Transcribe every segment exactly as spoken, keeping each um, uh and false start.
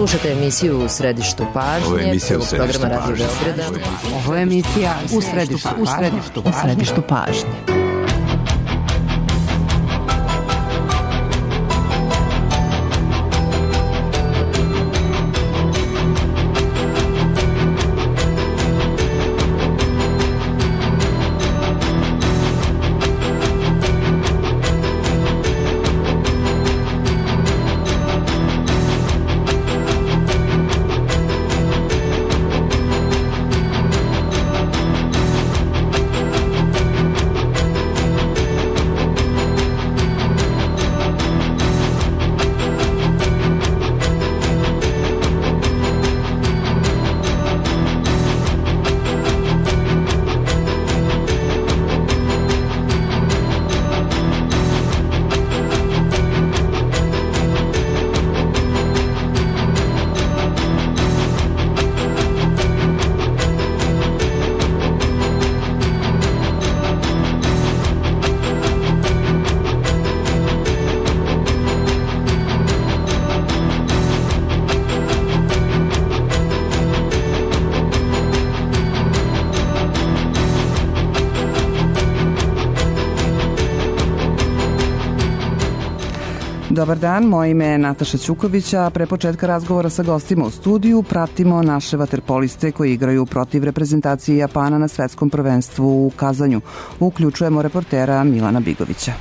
Slušate emisiju U središtu pažnje. Ovo je emisija U središtu pažnje. Ovo je emisija U središtu pažnje. U središtu pažnje. Dobar dan, moje ime je Nataša Ćuković, a pre početka razgovora sa gostima u studiju pratimo naše vaterpoliste koji igraju protiv reprezentacije Japana na svetskom prvenstvu u Kazanju. Uključujemo reportera Milana Bigovića.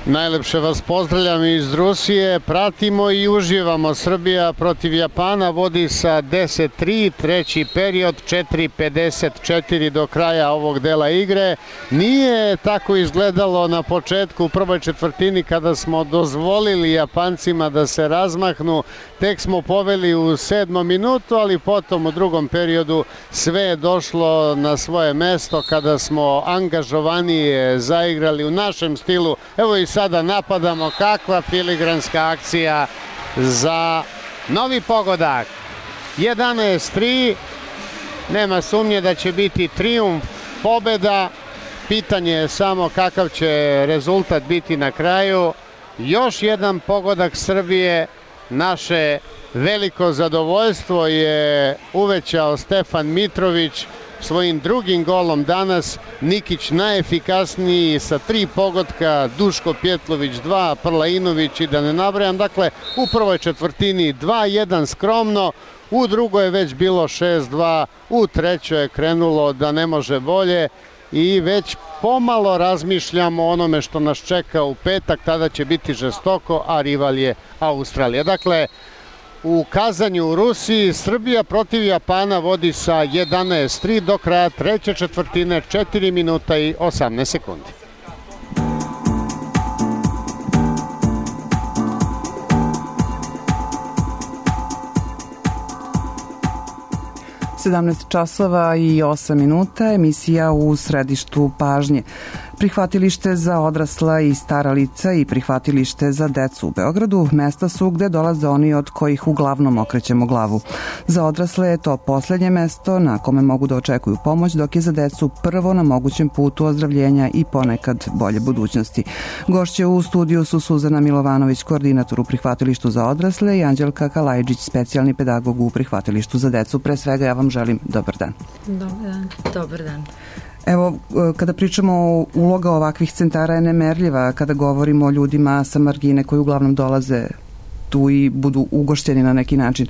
Najlepše vas pozdravljam iz Rusije, pratimo i uživamo. Srbija protiv Japana vodi sa deset tri, treći period, četiri pedeset četiri do kraja ovog dela igre. Nije tako izgledalo na početku u prvoj četvrtini kada smo dozvolili Japancima da se razmahnu. Tek smo poveli u sedmom minutu, ali potom u drugom periodu sve je došlo na svoje mesto kada smo angažovanije zaigrali u našem stilu. Evo i sada napadamo, kakva filigranska akcija za novi pogodak. jedanaest tri, nema sumnje da će biti trijumf, pobeda. Pitanje je samo kakav će rezultat biti na kraju. Još jedan pogodak Srbije. Naše veliko zadovoljstvo je uvećao Stefan Mitrović svojim drugim golom danas. Nikić najefikasniji sa tri pogotka, Duško Pjetlović dva, Prlainović i da ne nabrajam. Dakle, u prvoj četvrtini dva jedan skromno, u drugoj je već bilo šest dva, u trećoj je krenulo da ne može bolje i već pomalo razmišljamo o onome što nas čeka u petak, tada će biti žestoko, a rival je Australija. Dakle, u Kazanju u Rusiji Srbija protiv Japana vodi sa jedanaest tri do kraja treće četvrtine, četiri minuta i osamnaest sekundi. sedamnaest časova i osam minuta, emisija U središtu pažnje. Prihvatilište za odrasla i stara lica i prihvatilište za decu u Beogradu mesta su gde dolaze oni od kojih uglavnom okrećemo glavu. Za odrasle je to poslednje mesto na kome mogu da očekuju pomoć, dok je za decu prvo na mogućem putu ozdravljenja i ponekad bolje budućnosti. Gošće u studiju su Suzana Milovanović, koordinator u prihvatilištu za odrasle, i Anđelka Kalajđić, specijalni pedagog u prihvatilištu za decu. Pre svega ja vam želim dobar dan. Dobar dan. Dobar dan. Evo, kada pričamo o uloga ovakvih centara je nemerljiva, kada govorimo o ljudima sa margine koji uglavnom dolaze tu i budu ugošteni na neki način.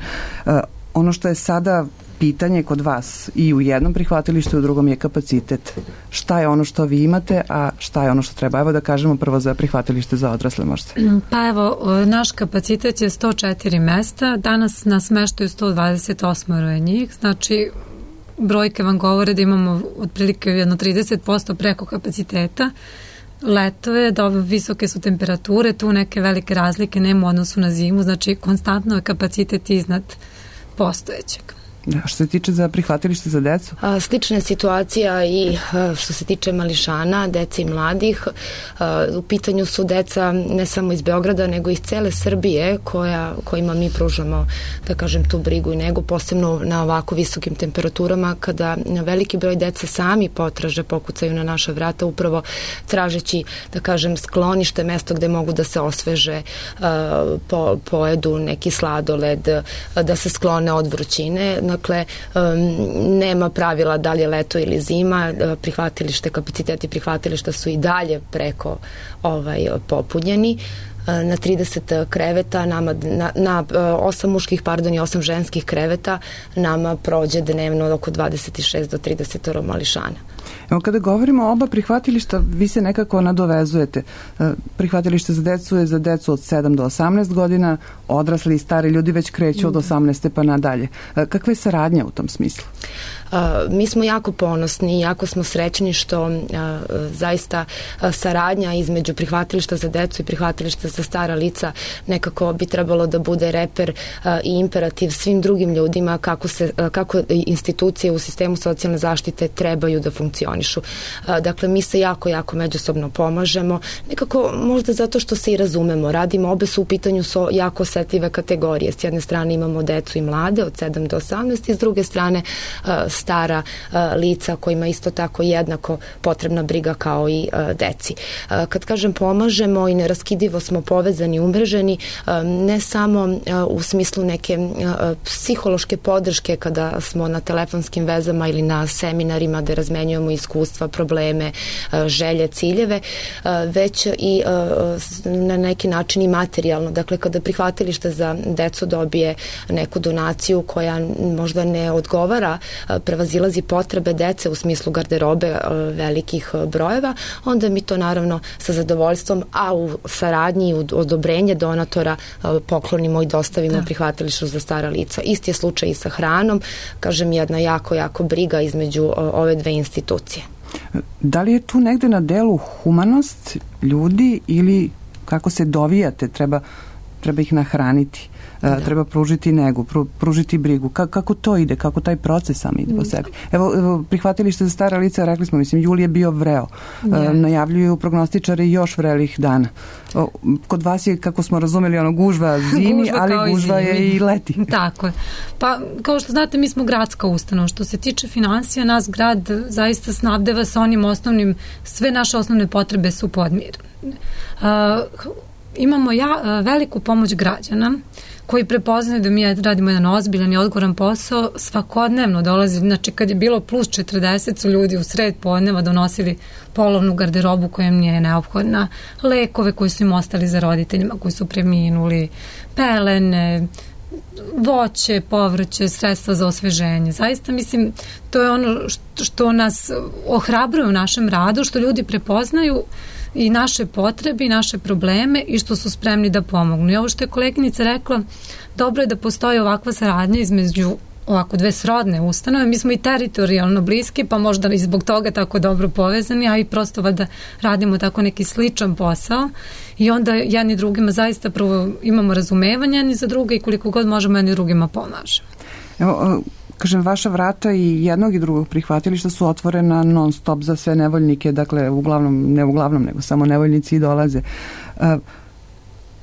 Ono što je sada pitanje kod vas i u jednom prihvatilištu i u drugom je kapacitet. Šta je ono što vi imate, a šta je ono što treba? Evo da kažemo prvo za prihvatilište za odrasle možda. Pa evo, naš kapacitet je sto četiri mesta, danas nas smeštaju sto dvadeset osam njih, znači brojke vam govore da imamo otprilike jedno trideset posto preko kapaciteta. Leto je, da visoke su temperature, tu neke velike razlike nema u odnosu na zimu, znači konstantno je kapacitet iznad postojećeg. Da, što se tiče za prihvatilište za decu? A, slična je situacija i a, što se tiče mališana, dece i mladih. A, u pitanju su deca ne samo iz Beograda, nego iz cele Srbije koja, kojima mi pružamo, da kažem, tu brigu i negu, posebno na ovako visokim temperaturama, kada veliki broj dece sami potraže, pokucaju na naša vrata, upravo tražeći, da kažem, sklonište, mesto gde mogu da se osveže, a, po, pojedu neki sladoled, a, da se sklone od vrućine. Dakle, nema pravila da li je leto ili zima, prihvatilište, kapaciteti prihvatilišta su i dalje preko ovaj, popunjeni. Na trideset kreveta, nama, na, na osam muških, pardon, i osam ženskih kreveta nama prođe dnevno oko dvadeset šest do trideset mališana. Evo, kada govorimo o oba prihvatilišta, vi se nekako nadovezujete. Prihvatilište za decu je za decu od sedam do osamnaest godina, odrasli i stari ljudi već kreću od osamnaeste pa nadalje. Kakva je saradnja u tom smislu? Uh, mi smo jako ponosni, jako smo srećni što uh, zaista uh, saradnja između prihvatilišta za decu i prihvatilišta za stara lica nekako bi trebalo da bude reper uh, i imperativ svim drugim ljudima kako, se, uh, kako institucije u sistemu socijalne zaštite trebaju da funkcionišu. Uh, dakle, mi se jako, jako međusobno pomažemo, nekako možda zato što se i razumemo, radimo, obe su u pitanju so jako osetljive kategorije. S jedne strane imamo decu i mlade od sedam do osamnaest i s druge strane uh, stara uh, lica kojima isto tako jednako potrebna briga kao i uh, deci. Uh, kad kažem pomažemo i neraskidivo smo povezani, umreženi, uh, ne samo uh, u smislu neke uh, psihološke podrške kada smo na telefonskim vezama ili na seminarima gde razmenjujemo iskustva, probleme, uh, želje, ciljeve, uh, već i uh, na neki način i materijalno. Dakle, kada prihvatilište za decu dobije neku donaciju koja možda ne odgovara, prevazilazi potrebe dece u smislu garderobe velikih brojeva, onda mi to naravno sa zadovoljstvom, a u saradnji i u odobrenje donatora poklonimo i dostavimo prihvatilištu za stara lica. Isti je slučaj i sa hranom, kažem, jedna jako, jako briga između ove dve institucije. Da li je tu negde na delu humanost ljudi ili kako se dovijate, treba, treba ih nahraniti? Da. Treba pružiti negu, pružiti brigu. Ka, kako to ide? Kako taj proces sam ide po sebi? Evo, evo prihvatilište za stara lica, rekli smo, mislim, jul je bio vreo. E, najavljuju prognostičari još vrelih dana. O, kod vas je, kako smo razumeli, ono gužva zimi, gužva ali gužva zimi. Je i leti. Tako je. Pa, kao što znate, mi smo gradska ustanova. Što se tiče financija, nas grad zaista snabdeva sa onim osnovnim, sve naše osnovne potrebe su podmirene. Uh, imamo ja, veliku pomoć građana koji prepoznaju da mi radimo jedan ozbiljan i odgovoran posao, svakodnevno dolazi, znači kad je bilo plus četrdeset su ljudi u sred podneva donosili polovnu garderobu koja im nije neophodna, lekove koji su im ostali za roditeljima koji su preminuli, pelene, voće, povrće, sredstva za osveženje. Zaista mislim, to je ono što, što nas ohrabruje u našem radu, što ljudi prepoznaju i naše potrebe i naše probleme i što su spremni da pomognu. I ovo što je koleginica rekla, dobro je da postoji ovakva saradnja između ovako dve srodne ustanove. Mi smo i teritorijalno bliski, pa možda i zbog toga tako dobro povezani, a i prosto da radimo tako neki sličan posao i onda jedni drugima zaista prvo imamo razumevanje jedni za druge i koliko god možemo jedni drugima pomažemo. Evo, kažem, vaša vrata i jednog i drugog prihvatilišta su otvorena non stop za sve nevoljnike, dakle, uglavnom, ne uglavnom, nego samo nevoljnici i dolaze. Uh,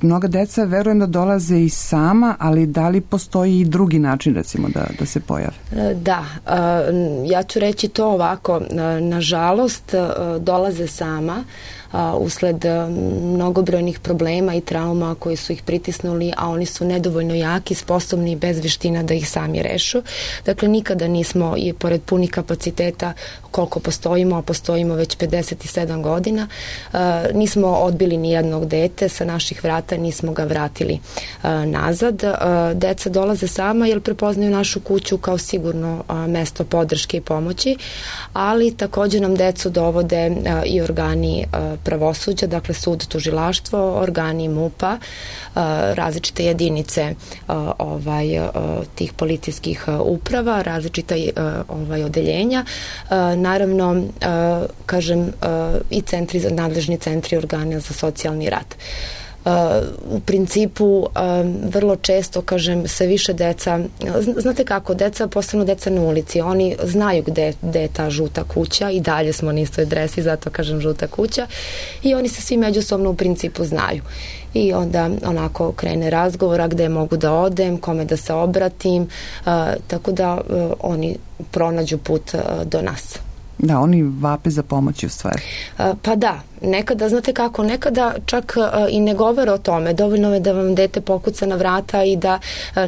mnoga deca, verujem da dolaze i sama, ali da li postoji i drugi način, recimo, da, da se pojave? Da, ja ću reći to ovako, nažalost, dolaze sama, usled mnogobrojnih problema i trauma koji su ih pritisnuli, a oni su nedovoljno jaki, sposobni i bez veština da ih sami rešu. Dakle, nikada nismo, i pored punih kapaciteta koliko postojimo, a postojimo već pedeset sedam godina, nismo odbili ni jednog dete sa naših vrata, nismo ga vratili nazad. Deca dolaze sama jer prepoznaju našu kuću kao sigurno mesto podrške i pomoći, ali takođe nam decu dovode i organi pravosuđa, dakle sud, tužilaštvo, organi MUP-a, različite jedinice ovaj, tih policijskih uprava, različita ovaj, odeljenja, naravno, kažem, i centri, nadležni centri organa za socijalni rad. u principu vrlo često, kažem, se više deca, znate kako, deca postanu deca na ulici, oni znaju gde, gde je ta žuta kuća i dalje smo na istoj adresi, zato kažem žuta kuća i oni se svi međusobno u principu znaju. I onda onako krene razgovora gde mogu da odem, kome da se obratim, uh, tako da uh, oni pronađu put uh, do nas. Da, oni vape za pomoći u stvari. Uh, pa da, nekada, znate kako, nekada čak uh, i ne govore o tome, dovoljno je da vam dete pokuca na vrata i da uh,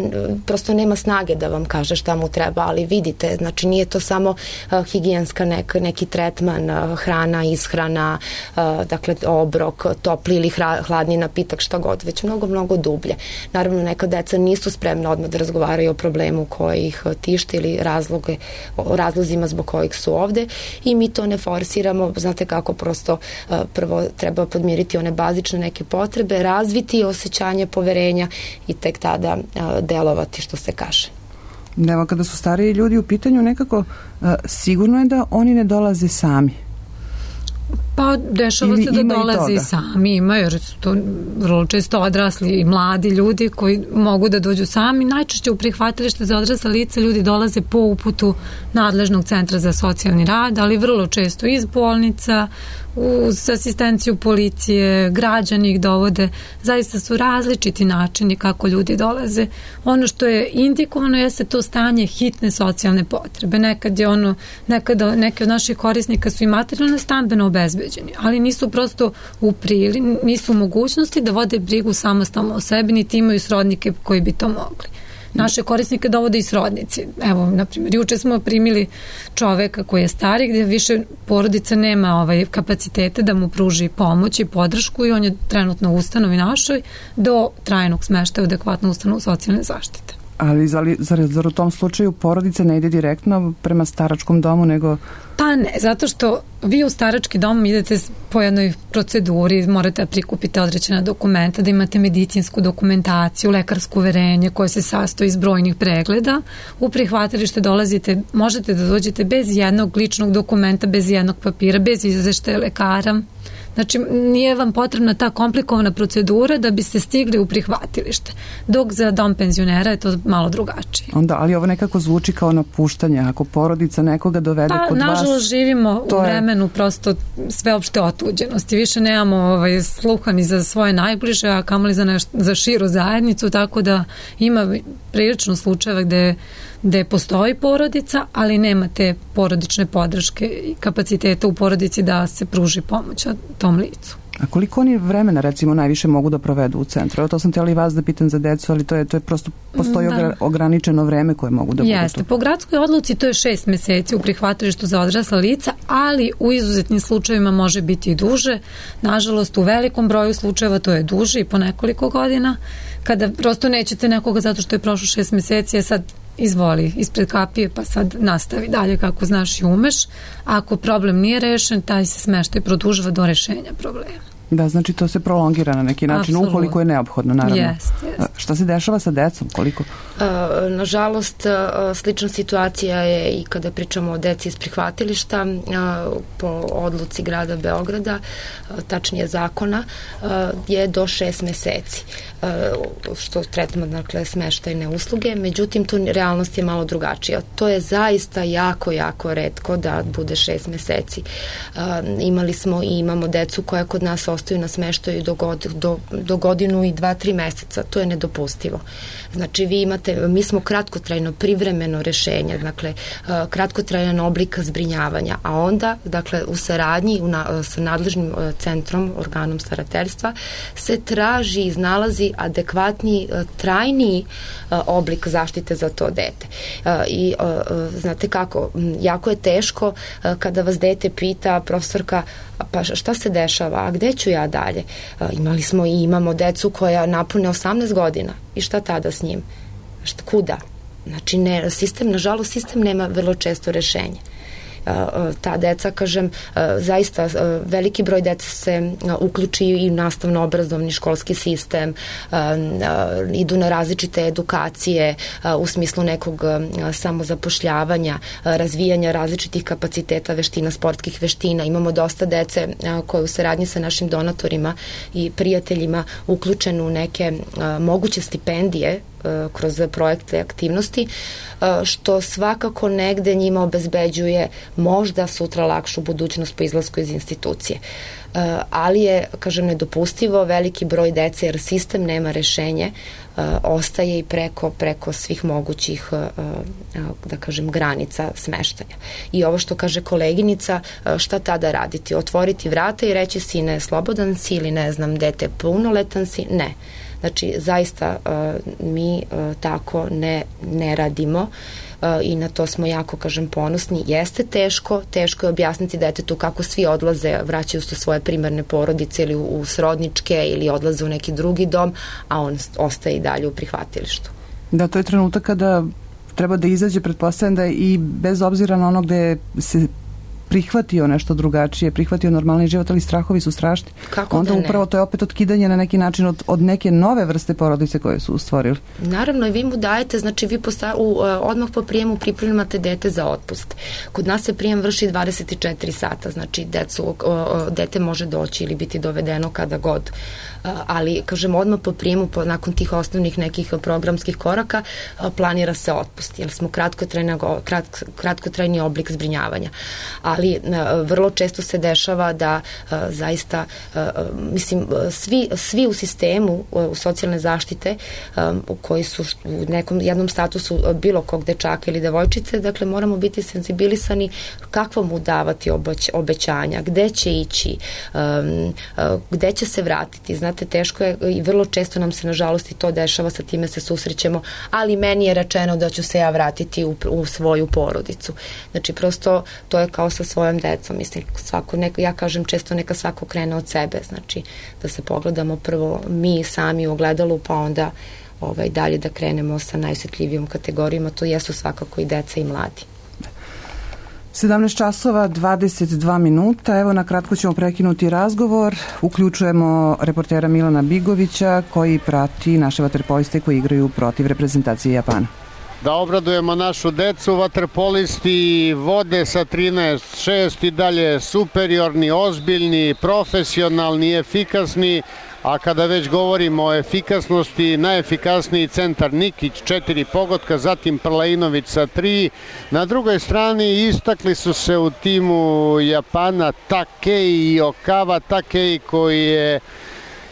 prosto nema snage da vam kaže šta mu treba, ali vidite, znači nije to samo uh, higijenska nek, neki tretman, uh, hrana, ishrana, uh, dakle obrok, topli ili hra, hladni napitak, šta god, već mnogo, mnogo dublje. Naravno, neka deca nisu spremna odmah da razgovaraju o problemu koji ih tište ili razloge, o razlozima zbog kojih su ovde i mi to ne forsiramo, znate kako, prosto uh, prvo treba podmiriti one bazične neke potrebe, razviti osjećanje poverenja i tek tada a, delovati, što se kaže. Evo, kada su stariji ljudi u pitanju, nekako a, sigurno je da oni ne dolaze sami. Pa dešava Ili se da dolaze i sami, ima, jer su to vrlo često odrasli i mladi ljudi koji mogu da dođu sami. Najčešće u prihvatilište za odrasla lica ljudi dolaze po uputu nadležnog centra za socijalni rad, ali vrlo često iz bolnica, uz asistenciju policije, građani ih dovode. Zaista su različiti načini kako ljudi dolaze. Ono što je indikovano jeste to stanje hitne socijalne potrebe. Nekad je ono, nekada neki od naših korisnika su i materijalno stambeno obezbeđeni, ali nisu prosto u prili, nisu u mogućnosti da vode brigu samostalno o sebi, niti imaju srodnike koji bi to mogli. Naše korisnike dovode i srodnici. Evo, na primjer, juče smo primili čoveka koji je stari, gdje više porodica nema ovaj kapacitete da mu pruži pomoć i podršku i on je trenutno u ustanovi našoj do trajnog smeštaja u adekvatnu ustanovu socijalne zaštite. Ali zar, zar, zar u tom slučaju porodica ne ide direktno prema staračkom domu, nego... Pa ne, zato što vi u starački dom idete po jednoj proceduri, morate da prikupite određena dokumenta, da imate medicinsku dokumentaciju, lekarsko uverenje koje se sastoji iz brojnih pregleda. U prihvatilište dolazite, možete da dođete bez jednog ličnog dokumenta, bez jednog papira, bez izveštaja lekara. Znači, nije vam potrebna ta komplikovana procedura da biste stigli u prihvatilište. Dok za dom penzionera je to malo drugačije. Onda, ali ovo nekako zvuči kao napuštanje. Ako porodica nekoga dovede pa, kod vas... Pa, nažalost, živimo u vremenu je... prosto sveopšte otuđenosti. Više nemamo ovaj, sluha ni za svoje najbliže, a kamoli za, neš... za širu zajednicu, tako da ima prilično slučajeva gde gde postoji porodica, ali nema te porodične podrške i kapaciteta u porodici da se pruži pomoć tom licu. A koliko oni vremena, recimo, najviše mogu da provedu u centru? Evo, to sam htjela i vas da pitam za decu, ali to je, to je prosto, postoji da. ograničeno vreme koje mogu da budu tu. Jeste, po gradskoj odluci to je šest meseci u prihvatilištu za odrasla lica, ali u izuzetnim slučajevima može biti i duže. Nažalost, u velikom broju slučajeva to je duže i po nekoliko godina, kada prosto nećete nekoga zato što je prošlo šest meseci, a sad izvoli ispred kapije pa sad nastavi dalje kako znaš i umeš. Ako problem nije rešen, taj se smeštaj produžava do rešenja problema. Da, znači to se prolongira na neki način, Absolutno. Ukoliko je neophodno, naravno. Jest, jest. Šta se dešava sa decom? Koliko? E, nažalost, slična situacija je i kada pričamo o deci iz prihvatilišta, po odluci grada Beograda, tačnije zakona, je do šest meseci. Što tretamo, dakle, smeštajne usluge, međutim, tu realnost je malo drugačija. To je zaista jako, jako retko da bude šest meseci. Imali smo i imamo decu koja kod nas ostaju na smeštaju do, god, do, do godinu i dva, tri meseca. To je nedopustivo. Znači, vi imate, mi smo kratkotrajno privremeno rešenje, dakle, kratkotrajan oblik zbrinjavanja, a onda, dakle, u saradnji u na, sa nadležnim centrom, organom starateljstva, se traži i iznalazi adekvatni, trajni oblik zaštite za to dete. I znate kako, jako je teško kada vas dete pita, profesorka, pa šta se dešava, a gde ću ja dalje? Imali smo i imamo decu koja napune osamnaest godina i šta tada s njim? Šta, kuda? Znači, ne, sistem, nažalost, sistem nema vrlo često rešenje. ta deca, kažem, zaista veliki broj deca se uključi i u nastavno-obrazovni školski sistem, idu na različite edukacije u smislu nekog samozapošljavanja, razvijanja različitih kapaciteta, veština, sportskih veština. Imamo dosta dece koje u saradnji sa našim donatorima i prijateljima uključenu u neke moguće stipendije kroz projekte aktivnosti, što svakako negde njima obezbeđuje možda sutra lakšu budućnost po izlasku iz institucije. Ali je, kažem, nedopustivo veliki broj dece, jer sistem nema rešenje, ostaje i preko, preko svih mogućih, da kažem, granica smeštaja. I ovo što kaže koleginica, šta tada raditi? Otvoriti vrata i reći sine, slobodan si ili ne znam, dete punoletan si? Ne. Znači, zaista mi tako ne, ne radimo i na to smo jako, kažem, ponosni. Jeste teško, teško je objasniti detetu kako svi odlaze, vraćaju se u svoje primarne porodice ili u srodničke ili odlaze u neki drugi dom, a on ostaje i dalje u prihvatilištu. Da, to je trenutak kada treba da izađe, pretpostavljam da i bez obzira na ono gde se prihvatio nešto drugačije, prihvatio normalni život, ali strahovi su strašni. Kako onda da ne? Upravo to je opet otkidanje na neki način od, od neke nove vrste porodice koje su ustvorili. Naravno, i vi mu dajete, znači vi posta, u, odmah po prijemu pripremate dete za otpust. Kod nas se prijem vrši dvadeset četiri sata, znači decu, dete može doći ili biti dovedeno kada god. Ali, kažem, odmah po prijemu, po, nakon tih osnovnih nekih programskih koraka, planira se otpust, jer smo kratkotrajni, krat, kratkotrajni oblik zbrinjavanja. Ali vrlo često se dešava da zaista, mislim, svi, svi u sistemu u socijalne zaštite u koji su u nekom jednom statusu bilo kog dečaka ili devojčice, dakle moramo biti senzibilisani kakvo mu davati obeć, obećanja, gde će ići, gde će se vratiti. Znate, teško je i vrlo često nam se nažalost i to dešava, sa time se susrećemo, ali meni je rečeno da ću se ja vratiti u, u svoju porodicu. Znači, prosto to je kao sa svojom decom, mislim, svako neka, ja kažem često neka svako krene od sebe, znači da se pogledamo prvo mi sami u ogledalu, pa onda ovaj, dalje da krenemo sa najosjetljivijom kategorijama, to jesu svakako i deca i mladi. sedamnaest časova dvadeset dva minuta, evo na kratko ćemo prekinuti razgovor, uključujemo reportera Milana Bigovića koji prati naše vaterpoliste koji igraju protiv reprezentacije Japana. Da obradujemo našu decu, vaterpolisti vode sa trinaest šest i dalje superiorni, ozbiljni, profesionalni, efikasni, a kada već govorimo o efikasnosti, najefikasniji centar Nikić, četiri pogotka, zatim Prlainović sa tri. Na drugoj strani istakli su se u timu Japana Takei i Okawa. Takei koji je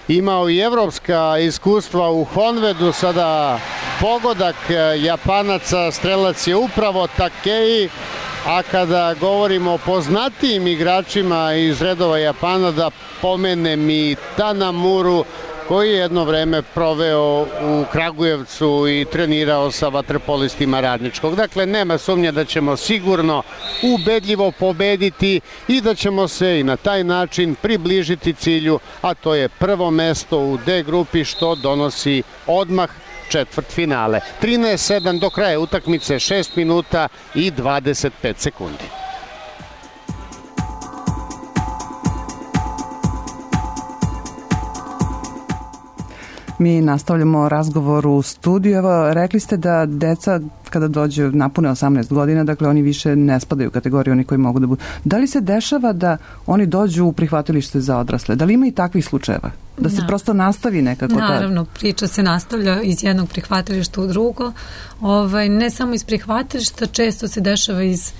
imao i evropska iskustva u Honvedu, sada pogodak Japanaca, strelac je upravo Takei, a kada govorimo o poznatijim igračima iz redova Japana, da pomenem i Tanamuru, koji je jedno vreme proveo u Kragujevcu i trenirao sa vaterpolistima Radničkog. Dakle, nema sumnje da ćemo sigurno ubedljivo pobediti i da ćemo se i na taj način približiti cilju, a to je prvo mesto u D grupi, što donosi odmah četvrt finale. trinaest sedam do kraja utakmice, šest minuta i dvadeset pet sekundi. Mi nastavljamo razgovor u studiju. Evo, rekli ste da deca kada dođe napune osamnaest godina, dakle oni više ne spadaju u kategoriju oni koji mogu da budu. Da li se dešava da oni dođu u prihvatilište za odrasle? Da li ima i takvih slučajeva? Da se da. prosto nastavi nekako? Naravno, ta... priča se nastavlja iz jednog prihvatilišta u drugo. Ovaj, ne samo iz prihvatilišta, često se dešava iz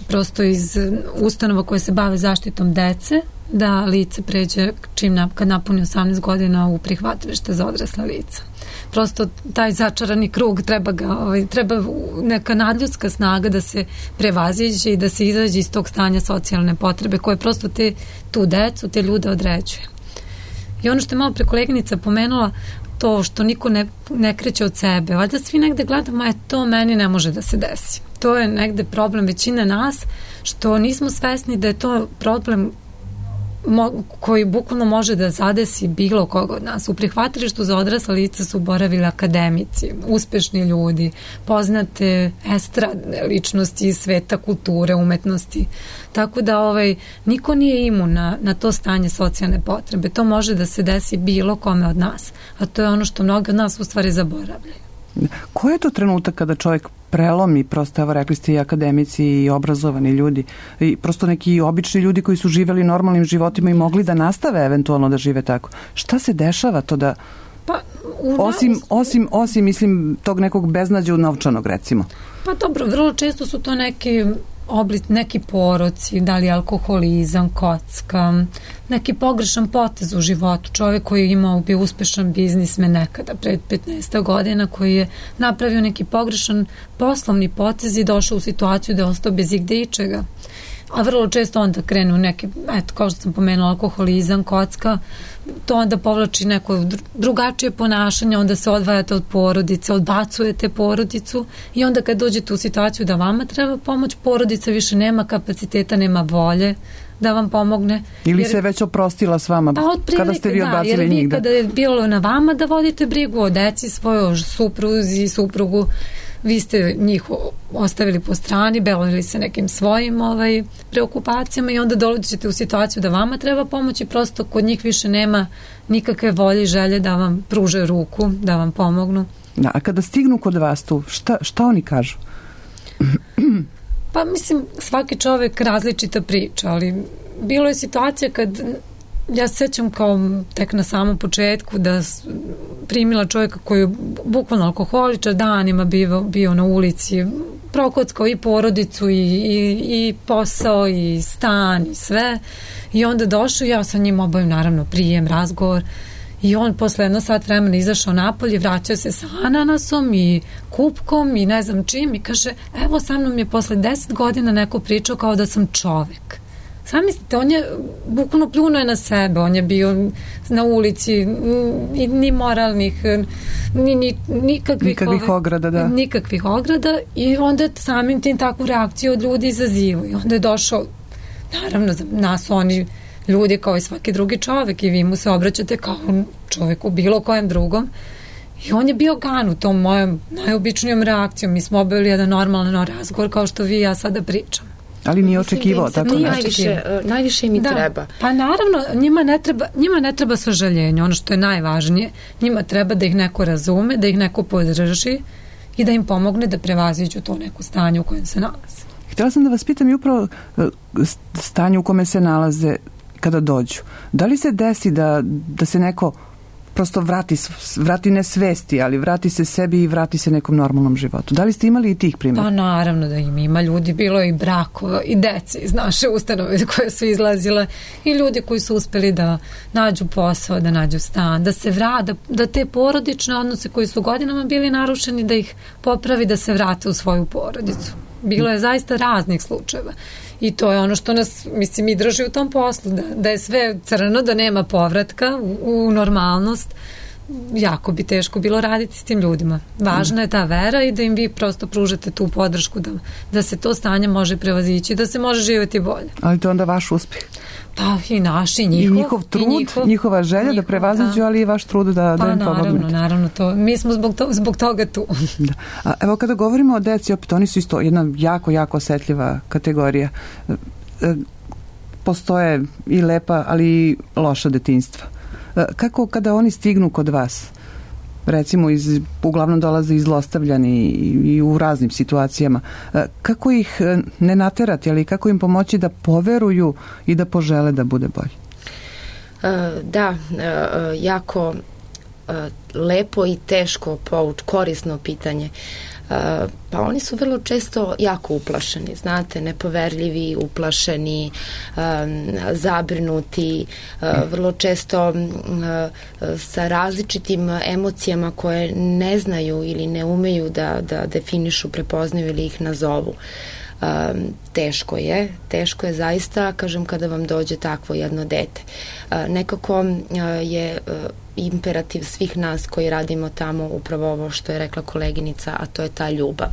prosto iz ustanova koje se bave zaštitom dece, da lice pređe čim na, kad napuni osamnaest godina u prihvatilište za odrasla lica. Prosto taj začarani krug treba ga, ovaj, treba neka nadljudska snaga da se prevaziđe i da se izađe iz tog stanja socijalne potrebe koje prosto te, tu decu, te ljude određuje. I ono što je malo pre koleginica pomenula, to što niko ne, ne kreće od sebe, valjda svi negde gledamo, je to meni ne može da se desi. To je negde problem većine nas, što nismo svesni da je to problem mo, koji bukvalno može da zadesi bilo koga od nas. U prihvatilištu za odrasla lica su boravili akademici, uspešni ljudi, poznate estradne ličnosti iz sveta kulture, umetnosti. Tako da ovaj, niko nije imun na, na to stanje socijalne potrebe. To može da se desi bilo kome od nas. A to je ono što mnogi od nas u stvari zaboravljaju. Koji je to trenutak kada čovjek prelomi, prosto, evo rekli ste i akademici i obrazovani ljudi, i prosto neki obični ljudi koji su živeli normalnim životima i mogli da nastave eventualno da žive tako. Šta se dešava to da... Pa, u osim, osim, osim, mislim, tog nekog beznađa novčanog, recimo. Pa dobro, vrlo često su to neki oblik, neki poroci, da li alkoholizam, kocka, neki pogrešan potez u životu. Čovjek koji je imao bio uspešan biznismen nekada pred petnaest godina, koji je napravio neki pogrešan poslovni potez i došao u situaciju da je ostao bez igde ičega. A vrlo često onda krenu neki, eto, kao što sam pomenula, alkoholizam, kocka, to onda povlači neko drugačije ponašanje, onda se odvajate od porodice, odbacujete porodicu i onda kad dođete u situaciju da vama treba pomoć, porodica više nema kapaciteta, nema volje da vam pomogne. Ili jer, se već oprostila s vama, pa kada ste vi odbacili da, jer vi njih. Da. Kada je bilo na vama da vodite brigu o deci, svojoj supruzi, suprugu, vi ste njih ostavili po strani, bavili se nekim svojim ovaj, preokupacijama i onda dolazite u situaciju da vama treba pomoći, prosto kod njih više nema nikakve volje i želje da vam pruže ruku, da vam pomognu. Da, a kada stignu kod vas tu, šta, šta oni kažu? Pa mislim, svaki čovek različita priča, ali bilo je situacija kad ja se sećam kao tek na samom početku da primila čovjeka koji je bukvalno alkoholičar, danima bio, bio na ulici, prokockao i porodicu i, i, i posao i stan i sve i onda došao, ja sa njim obavim naravno prijem, razgovor i on posle jedno sat vremena izašao napolje, vraćao se sa ananasom i kupkom i ne znam čim i kaže, evo sa mnom je posle deset godina neko pričao kao da sam čovek. Sam mislite, on je bukvalno pljunuo je na sebe, on je bio na ulici, ni, ni moralnih, ni, ni, nikakvih, nikakvih ove, ograda, da. Nikakvih ograda i onda je samim tim takvu reakciju od ljudi izazivao i onda je došao, naravno, za nas oni ljudi kao i svaki drugi čovek i vi mu se obraćate kao čoveku bilo kojem drugom i on je bio gan u tom mojom najobičnijom reakcijom. Mi smo obavili jedan normalan razgovor kao što vi i ja sada pričam. Ali nije očekivao tako nešto. Najviše, najviše mi da, treba. Pa naravno, njima ne treba, njima ne treba sažaljenje, ono što je najvažnije. Njima treba da ih neko razume, da ih neko podrži i da im pomogne da prevaziđu to neko stanje u kojem se nalaze. Htjela sam da vas pitam i upravo stanje u kome se nalaze kada dođu. Da li se desi da, da se neko prosto vrati, vrati ne svesti, ali vrati se sebi i vrati se nekom normalnom životu? Da li ste imali i tih primjera? Pa naravno da im ima ljudi, bilo i brakova i dece iz naše ustanove koje su izlazile i ljudi koji su uspeli da nađu posao, da nađu stan, da se vrade, da te porodične odnose koji su godinama bili narušeni, da ih popravi, da se vrate u svoju porodicu. Bilo je zaista raznih slučajeva. I to je ono što nas, mislim, i drži u tom poslu, da, da je sve crno, da nema povratka u, u normalnost. Jako bi teško bilo raditi s tim ljudima. Važna je ta vera i da im vi prosto pružate tu podršku da, da se to stanje može prevazići, da se može živjeti bolje. Ali to je onda vaš uspjeh. Pa i naš i njihov. I njihov trud, i njihov, njihova želja njihov, da prevaziđu, ali i vaš trud da, pa, da im pomognete. Pa naravno, naravno. To, mi smo zbog, to, zbog toga tu. Da. A evo kada govorimo o deci, opet oni su isto jedna jako, jako osetljiva kategorija. Postoje i lepa, ali i loša detinjstva. Kako kada oni stignu kod vas, recimo iz, uglavnom dolaze izlostavljani i, i u raznim situacijama, kako ih ne naterati, ali kako im pomoći da poveruju i da požele da bude bolje? Da, jako lepo i teško pouč, korisno pitanje. Pa oni su vrlo često jako uplašeni, znate, nepoverljivi, uplašeni, zabrinuti, vrlo često sa različitim emocijama koje ne znaju ili ne umeju da, da definišu, prepoznaju ili ih nazovu. Teško je, teško je zaista, kažem, kada vam dođe takvo jedno dete. Nekako je imperativ svih nas koji radimo tamo upravo ovo što je rekla koleginica, a to je ta ljubav.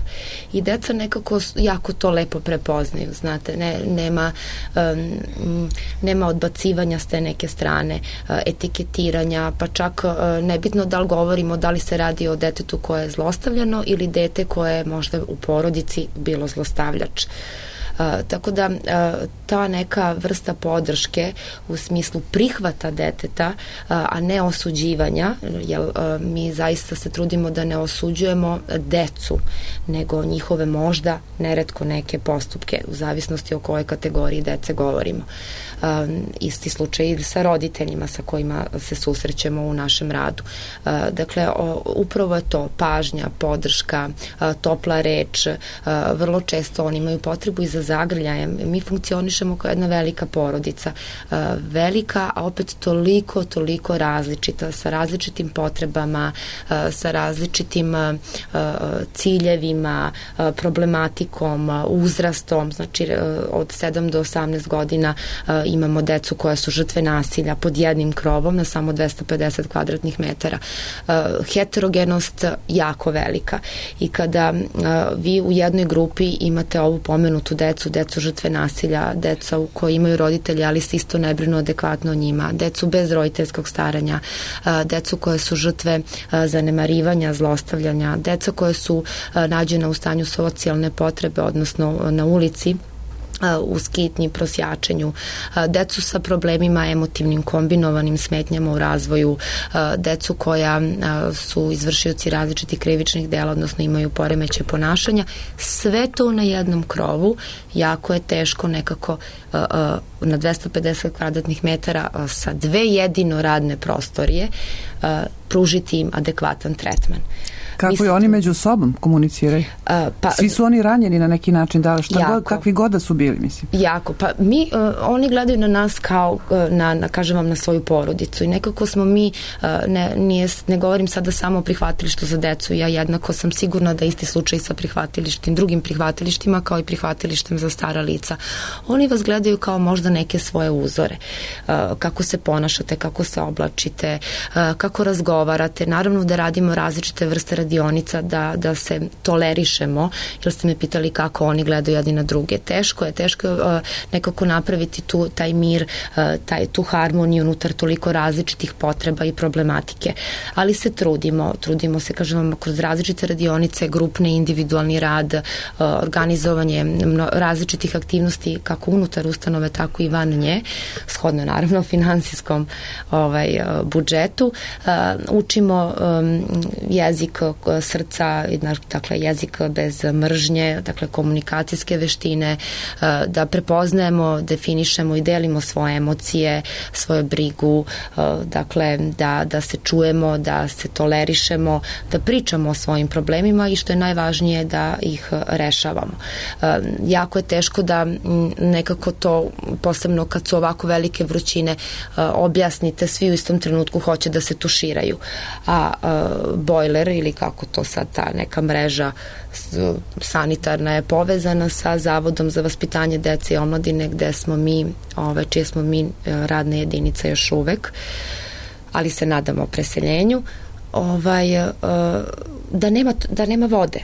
I deca nekako jako to lepo prepoznaju, znate, ne, nema, um, nema odbacivanja s te neke strane, uh, etiketiranja, pa čak uh, nebitno da li govorimo da li se radi o detetu koje je zlostavljano ili dete koje je možda u porodici bilo zlostavljač. Uh, tako da uh, ta neka vrsta podrške u smislu prihvata deteta, uh, a ne osuđivanja, jer uh, mi zaista se trudimo da ne osuđujemo decu, nego njihove možda neretko neke postupke, u zavisnosti o kojoj kategoriji dece govorimo. Uh, isti slučaj i sa roditeljima sa kojima se susrećemo u našem radu. Uh, dakle, o, upravo je to pažnja, podrška, uh, topla reč, uh, vrlo često oni imaju potrebu i za zagrljajem. Mi funkcionišemo kao jedna velika porodica. Uh, velika, a opet toliko, toliko različita, sa različitim potrebama, uh, sa različitim uh, ciljevima, uh, problematikom, uh, uzrastom, znači uh, od sedam do osamnaest godina uh, imamo decu koja su žrtve nasilja pod jednim krovom na samo dvesta pedeset kvadratnih metara. Uh, heterogenost jako velika i kada uh, vi u jednoj grupi imate ovu pomenutu decu, decu žrtve nasilja, deca u koji imaju roditelji, ali se isto ne brinu adekvatno o njima, decu bez roditeljskog staranja, uh, decu koje su žrtve uh, zanemarivanja, zlostavljanja, deca koje su uh, nađena u stanju socijalne potrebe, odnosno na ulici, u skitnji, prosjačenju, decu sa problemima emotivnim kombinovanim smetnjama u razvoju, decu koja su izvršioci različitih krivičnih dela, odnosno imaju poremeće ponašanja. Sve to na jednom krovu jako je teško nekako na dvesta pedeset kvadratnih metara sa dve jedino radne prostorije pružiti im adekvatan tretman. Kako Mislim, i oni među sobom komuniciraju? Uh, pa, Svi su oni ranjeni na neki način, da li šta jako, god, kakvi god da su bili, mislim. Jako, pa mi, uh, oni gledaju na nas kao, uh, na, na, kažem vam, na svoju porodicu i nekako smo mi, uh, ne, nije, ne govorim sada samo o prihvatilištu za decu, ja jednako sam sigurna da isti slučaj sa prihvatilištim, drugim prihvatilištima kao i prihvatilištem za stara lica. Oni vas gledaju kao možda neke svoje uzore, uh, kako se ponašate, kako se oblačite, uh, kako razgovarate, naravno da radimo različite vrste radionica, da, da se tolerišemo, jer ste me pitali kako oni gledaju jedni na druge. Teško je, teško je uh, nekako napraviti tu, taj mir, uh, taj, tu harmoniju unutar toliko različitih potreba i problematike. Ali se trudimo, trudimo se, kažem vam, kroz različite radionice, grupne, individualni rad, uh, organizovanje mno, različitih aktivnosti kako unutar ustanove, tako i van nje, shodno naravno finansijskom ovaj, uh, budžetu. Uh, učimo um, jezik srca, dakle jezik bez mržnje, dakle komunikacijske veštine, da prepoznajemo, definišemo i delimo svoje emocije, svoju brigu, dakle da, da se čujemo, da se tolerišemo, da pričamo o svojim problemima i što je najvažnije da ih rešavamo. Jako je teško da nekako to, posebno kad su ovako velike vrućine, objasnite, svi u istom trenutku hoće da se tuširaju, a bojler ili kako to sad ta neka mreža sanitarna je povezana sa Zavodom za vaspitanje dece i omladine gde smo mi, ove, čije smo mi radna jedinica još uvek, ali se nadamo preseljenju, ovaj, da nema, da nema vode.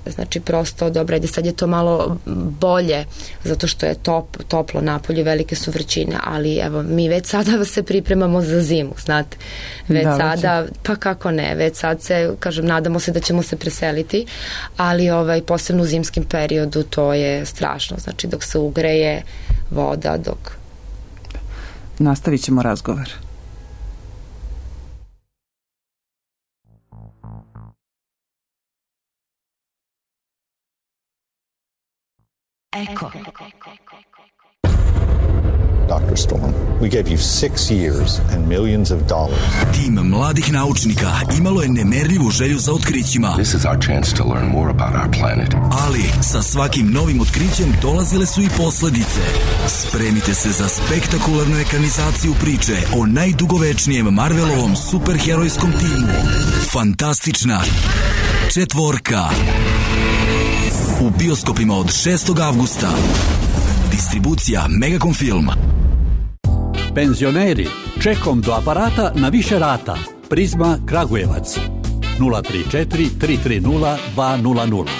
Znači prosto, dobro, ajde sad je to malo bolje zato što je top, toplo napolje, velike su vrućine, ali evo mi već sada se pripremamo za zimu, znate, već da, sada, već. Pa kako ne, već sad se, kažem, nadamo se da ćemo se preseliti, ali ovaj, posebno u zimskim periodu to je strašno, znači dok se ugreje voda, dok... Nastavit ćemo razgovor. Echo. Doctor Storm, we gave you six years and millions of dollars. Tim mladih naučnika imalo je nemerljivu želju za otkrićima. This is our chance to learn more about our planet. Ali sa svakim novim otkrićem dolazile su i posledice. Spremite se za spektakularnu ekranizaciju priče o najdugovečnijem Marvelovom superherojskom timu. Fantastična četvorka. U bioskopima od šestog avgusta. Distribucija Megacom Film. Penzioneri, Čekom do aparata na više rata. Prizma Kragujevac. nula tri četiri tri tri nula dva nula nula.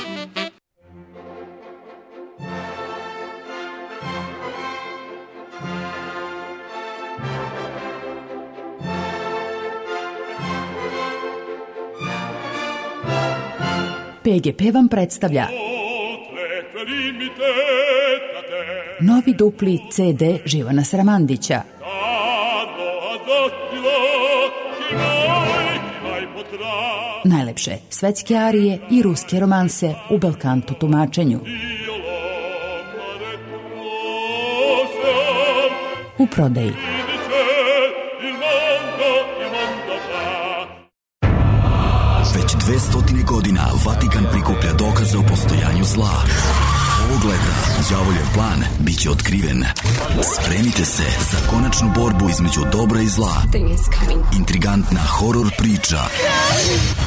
P G P vam predstavlja novi dupli C D Živana Sramandića. Najlepše svetske arije i ruske romanse u belkanto tumačenju. U prodaji. Već dve stotine godina Vatikan prikuplja dokaze o postojanju zla. Ovog leta đavoljev plan biće otkriven. Spremite se za konačnu borbu između dobra i zla. Intrigantna horor priča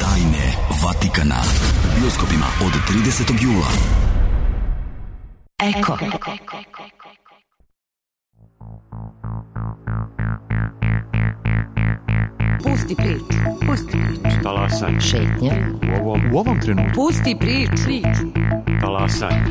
Tajne Vatikana u bioskopima od tridesetog jula. Eko. Pusti priču, pusti priču. Talasanje. Šetnja. U ovom, u ovom trenutku. Pusti priču. Talasanje.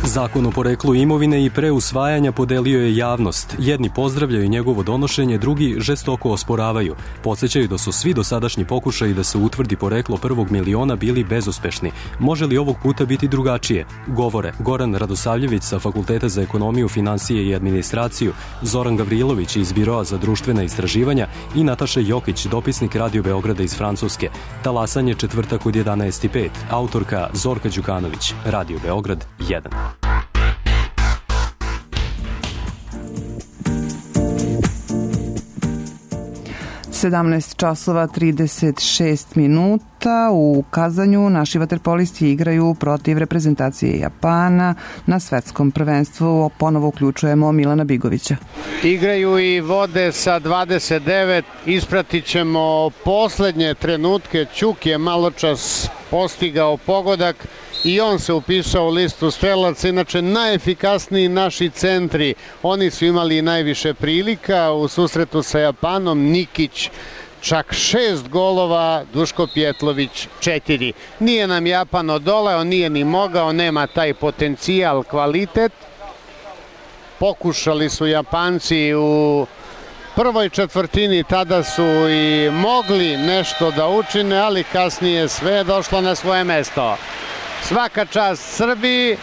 Zakon o poreklu imovine i pre usvajanja podelio je javnost. Jedni pozdravljaju njegovo donošenje, drugi žestoko osporavaju. Podsećaju da su svi dosadašnji pokušaji da se utvrdi poreklo prvog miliona bili bezuspešni. Može li ovog puta biti drugačije? Govore Goran Radosavljević sa Fakulteta za ekonomiju, finansije i administraciju, Zoran Gavrilović iz Biroa za društvena istraživanja i Nataša Jokić, dopisnik Radio Beograda iz Francuske. Talasanje četvrtak od jedanaest i pet. Autorka Zorka Đukanović. Radio Beograd jedan. sedamnaest časova trideset šest minuta. U Kazanju naši vaterpolisti igraju protiv reprezentacije Japana na svetskom prvenstvu. Ponovo uključujemo Milana Bigovića. Igraju i vode sa dvadeset devet. Ispratit ćemo poslednje trenutke. Ćuk je maločas postigao pogodak i on se upisao u listu strelaca. Inače, najefikasniji naši centri. Oni su imali najviše prilika u susretu sa Japanom. Nikić čak šest golova, Duško Pjetlović četiri. Nije nam Japan odoleo, nije ni mogao, nema taj potencijal, kvalitet. Pokušali su Japanci u prvoj četvrtini, tada su i mogli nešto da učine, ali kasnije sve je došlo na svoje mesto. Svaka čast Srbiji,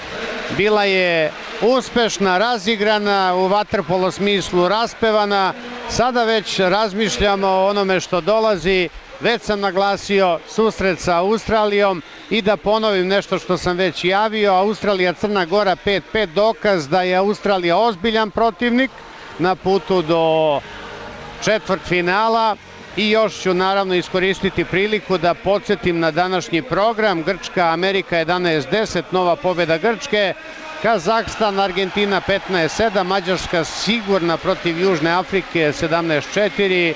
bila je uspešna, razigrana, u vaterpolo smislu raspevana. Sada već razmišljamo o onome što dolazi. Već sam naglasio susret sa Australijom i da ponovim nešto što sam već javio. Australija, Crna Gora pet pet, dokaz da je Australija ozbiljan protivnik na putu do četvrtfinala. I još ću naravno iskoristiti priliku da podsjetim na današnji program. Grčka, Amerika jedanaest deset, nova pobjeda Grčke. Kazahstan, Argentina petnaest sedam, Mađarska sigurna protiv Južne Afrike sedamnaest četiri,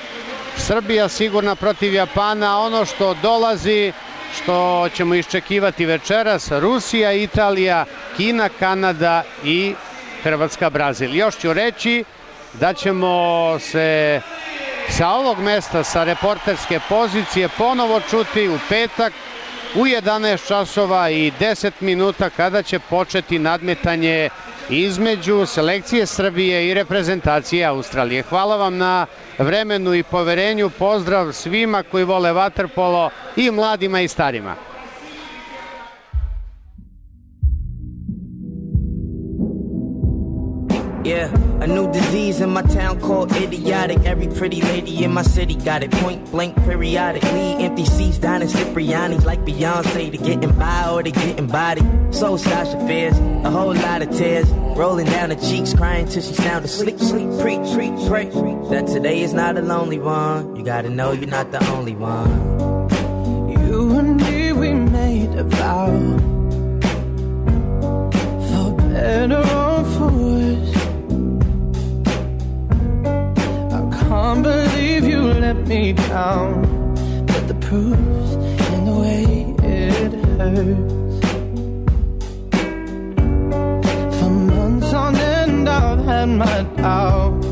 Srbija sigurna protiv Japana. Ono što dolazi, što ćemo iščekivati večeras, Rusija, Italija, Kina, Kanada i Hrvatska, Brazil. Još ću reći da ćemo se sa ovog mesta, sa reporterske pozicije, ponovo čuti u petak u jedanaest časova i deset minuta kada će početi nadmetanje između selekcije Srbije i reprezentacije Australije. Hvala vam na vremenu i poverenju. Pozdrav svima koji vole vaterpolo, i mladima i starima. Yeah, a new disease in my town called idiotic. Every pretty lady in my city got it, point blank periodically. Empty seats down in Cipriani's like Beyonce. To getting by or to getting body. So Sasha Fierce, a whole lot of tears rolling down her cheeks, crying till she sounded asleep. Sleep, preach, preach, pray that today is not a lonely one. You gotta know you're not the only one. You and me, we made a vow, for better or for worse. Can't believe you let me down, but the proof's in the way it hurts. For months on end I've had my doubts,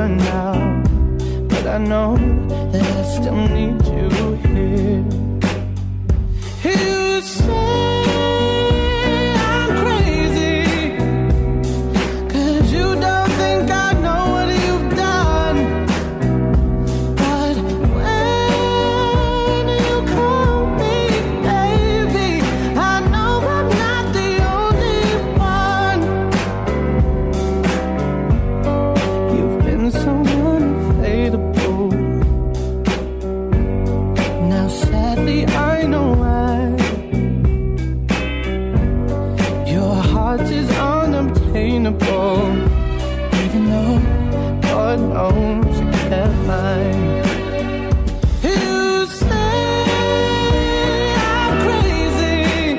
gone now, but I know that I still need you here. You say I'm crazy, 'cause you don't think I know what you've done. But when you call me baby, I know I'm not the only one. You've been so unfadable. Now sadly I know why. Your heart is unobtainable, even though God knows you kept mine. You say I'm crazy,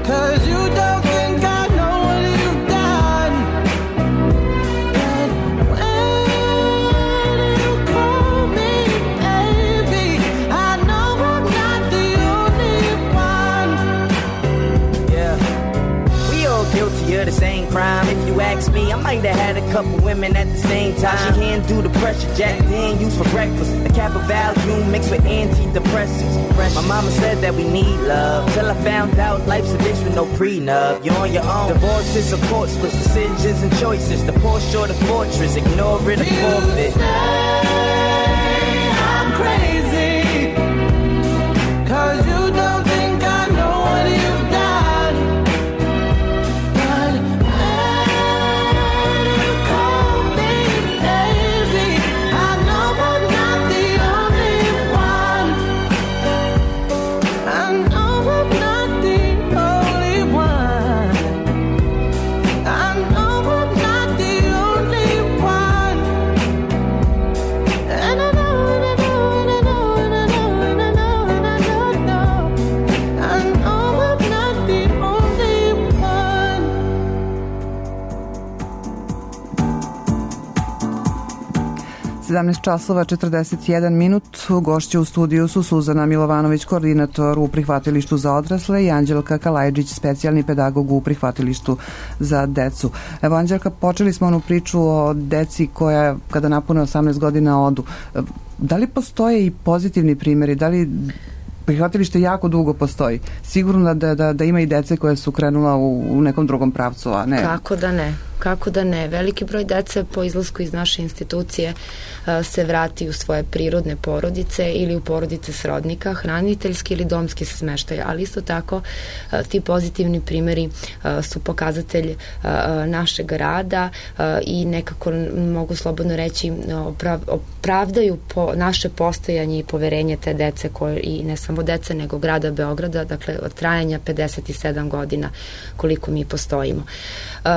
'cause you don't think I know what you've done. But when you call me baby, I know I'm not the only one. Yeah, we all guilty of the same crime. If you ask me, I might have had a couple women at the same time. She handle the pressure, Jack Dan used for breakfast. A cap of Valium mixed with antidepressants. My mama said that we need love, till I found out life's a bitch with no prenup. You're on your own. Divorce is a court split, decisions and choices. The Porsche or the fortress, ignore it or forfeit. I'm crazy, 'cause you don't think I know what you've done. But when you call me baby, I know I'm not the only one. I know I'm not the only one. I know I'm not the only one. And I know, and I know, and I know, and I know, and I know, and I know, know. I know I'm not the only one. sedamnaest časova četrdeset jedan minut. Gošće u studiju su Suzana Milovanović, koordinator u prihvatilištu za odrasle, i Anđelka Kalajđić, specijalni pedagog u prihvatilištu za decu. Evo, Anđelka, počeli smo onu priču o deci koja kada napune osamnaest godina odu. Da li postoje i pozitivni primjeri? Da li prihvatilište jako dugo postoji? Sigurno da, da, da ima i dece koje su krenula u, u nekom drugom pravcu, a ne... Kako da ne? Kako da ne? Veliki broj dece po izlasku iz naše institucije uh, se vrati u svoje prirodne porodice ili u porodice srodnika, hraniteljski ili domski smeštaj, ali isto tako uh, ti pozitivni primjeri uh, su pokazatelj uh, našeg rada uh, i nekako mogu slobodno reći oprav, opravdaju po naše postojanje i poverenje te dece koje, i ne samo dece nego grada Beograda, dakle od trajanja pedeset sedam godina koliko mi postojimo. Uh,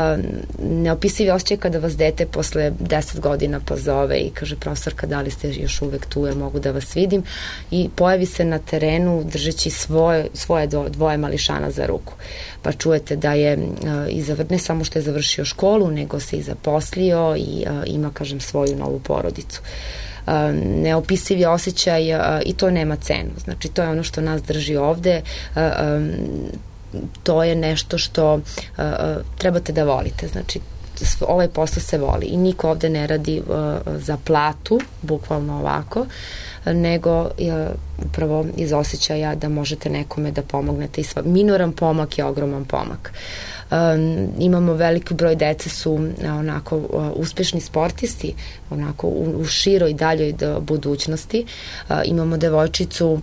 neopisivi osjećaj kada vas dete posle deset godina pozove i kaže: profesorka, da li ste još uvek tu, jer mogu da vas vidim, i pojavi se na terenu držeći svoje, svoje dvoje mališana za ruku, pa čujete da je i zavr, ne samo što je završio školu, nego se i zaposlio i a, ima, kažem, svoju novu porodicu. A, neopisivi osjećaj a, i to nema cenu, znači to je ono što nas drži ovde. A, a, to je nešto što uh, trebate da volite, znači ovaj posao se voli i niko ovde ne radi uh, za platu, bukvalno ovako, nego uh, upravo iz osjećaja da možete nekome da pomognete i sva, minoran pomak je ogroman pomak. Um, imamo veliki broj dece su uh, onako uh, uspešni sportisti, onako u, u široj daljoj do budućnosti. Uh, imamo devojčicu, uh,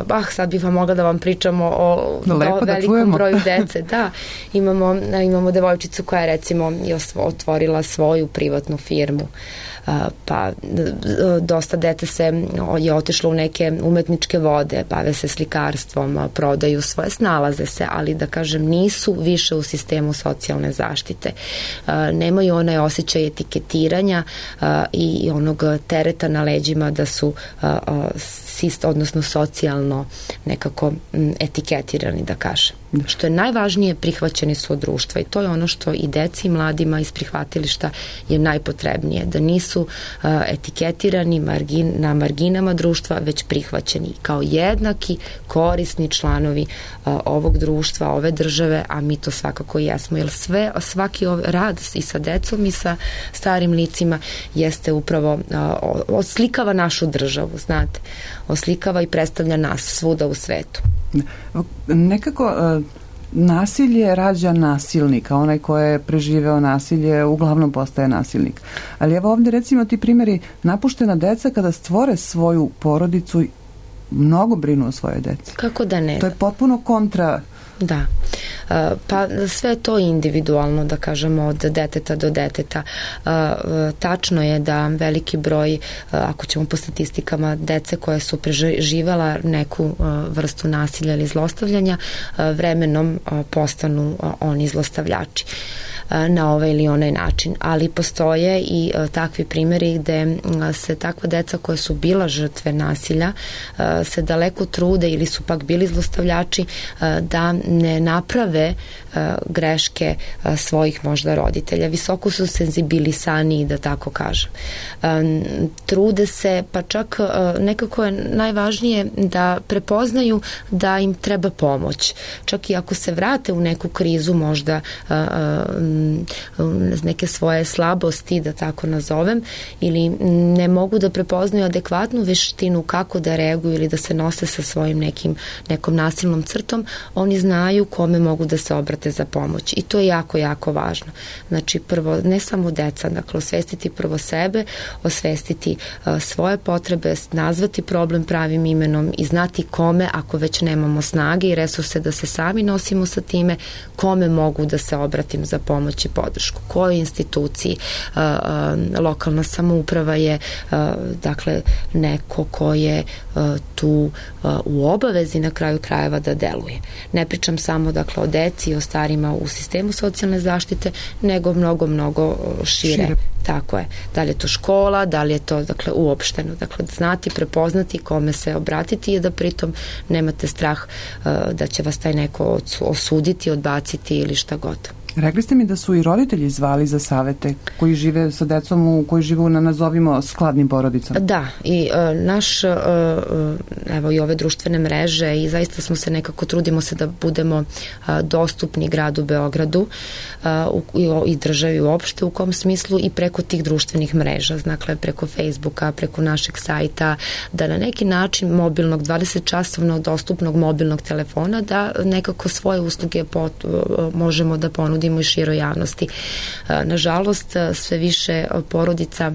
bah, sad bih vam mogla da vam pričamo o, o velikom broju dece. Da, imamo, uh, imamo devojčicu koja je recimo otvorila svoju privatnu firmu. Uh, pa dosta dete se je otišlo u neke umetničke vode, bave se slikarstvom, prodaju svoje, snalaze se, ali da kažem nisu više u sistemu socijalne zaštite. Uh, nemaju onaj osjećaj etiketiranja uh, i onog tereta na leđima da su uh, uh, sist, odnosno socijalno nekako m, etiketirani, da kažem. Što je najvažnije, prihvaćeni su od društva i to je ono što i deci i mladima iz prihvatilišta je najpotrebnije, da nisu uh, etiketirani margin, na marginama društva, već prihvaćeni kao jednaki korisni članovi uh, ovog društva, ove države, a mi to svakako jesmo, jer sve, svaki ov, rad i sa decom i sa starim licima jeste upravo uh, oslikava našu državu, znate, oslikava i predstavlja nas svuda u svetu. Nekako uh, nasilje rađa nasilnika, onaj ko je preživeo nasilje uglavnom postaje nasilnik. Ali evo ovde recimo ti primjeri, napuštena deca kada stvore svoju porodicu mnogo brinu o svoje deci. Kako da ne? To je potpuno kontra. Da. Pa sve to individualno, da kažemo, od deteta do deteta. Tačno je da veliki broj, ako ćemo po statistikama, dece koje su preživela neku vrstu nasilja ili zlostavljanja, vremenom postanu oni zlostavljači na ovaj ili onaj način. Ali postoje i takvi primjeri gde se takva deca koja su bila žrtve nasilja se daleko trude ili su pak bili zlostavljači da ne naprave greške svojih možda roditelja. Visoko su senzibilisaniji, da tako kažem. Trude se, pa čak nekako je najvažnije da prepoznaju da im treba pomoć. Čak i ako se vrate u neku krizu, možda neke svoje slabosti, da tako nazovem, ili ne mogu da prepoznaju adekvatnu veštinu kako da reaguju ili da se nose sa svojim nekim, nekom nasilnom crtom, oni znaju kome mogu da se obrate za pomoć. I to je jako, jako važno. Znači, prvo, ne samo deca, dakle, osvestiti prvo sebe, osvestiti uh, svoje potrebe, nazvati problem pravim imenom i znati kome, ako već nemamo snage i resurse da se sami nosimo sa time, kome mogu da se obratim za pomoć i podršku. Kojoj instituciji? Uh, uh, lokalna samouprava je uh, dakle, neko ko je uh, tu uh, u obavezi na kraju krajeva da deluje. Ne pričam samo, dakle, o deci i o starima u sistemu socijalne zaštite, nego mnogo, mnogo šire. šire. Tako je. Da li je to škola, da li je to, dakle, uopšteno. Dakle, znati, prepoznati kome se obratiti i da pritom nemate strah uh, da će vas taj neko osuditi, odbaciti ili šta god. Rekli ste mi da su i roditelji zvali za savete koji žive sa decom, u, koji žive na, nazovimo, skladnim porodicama. Da, i uh, naš, uh, evo i ove društvene mreže i zaista smo se nekako, trudimo se da budemo uh, dostupni gradu Beogradu uh, u, i, i državi uopšte, u kom smislu i preko tih društvenih mreža, dakle preko Facebooka, preko našeg sajta, da na neki način mobilnog, dvadeset časovno dostupnog mobilnog telefona, da nekako svoje usluge pot, uh, možemo da ponudimo i široj javnosti. Nažalost, sve više porodica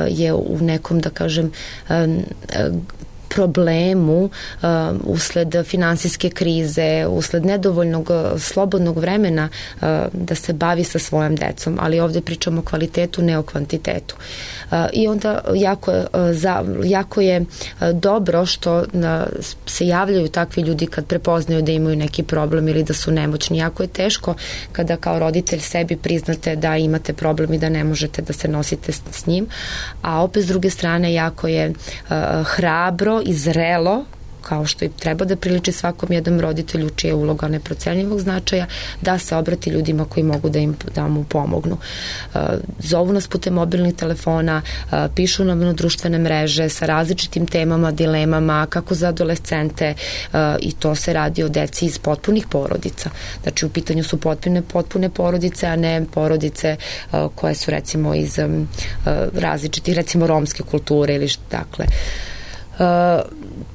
je u nekom, da kažem, problemu uh, usled finansijske krize, usled nedovoljnog slobodnog vremena uh, da se bavi sa svojom decom, ali ovde pričamo o kvalitetu, ne o kvantitetu. Uh, I onda jako, uh, za, jako je uh, dobro što uh, se javljaju takvi ljudi kad prepoznaju da imaju neki problem ili da su nemoćni. Jako je teško kada kao roditelj sebi priznate da imate problem i da ne možete da se nosite s, s njim, a opet s druge strane jako je uh, hrabro i zrelo, kao što i treba da priliči svakom jednom roditelju čija je uloga neprocenjivog značaja, da se obrati ljudima koji mogu da im da mu pomognu. Uh, zovu nas putem mobilnih telefona, uh, pišu nam na društvene mreže sa različitim temama, dilemama, kako za adolescente, uh, i to se radi o deci iz potpunih porodica. Znači, u pitanju su potpune, potpune porodice, a ne porodice uh, koje su, recimo, iz um, uh, različitih, recimo, romske kulture ili što, dakle. Uh,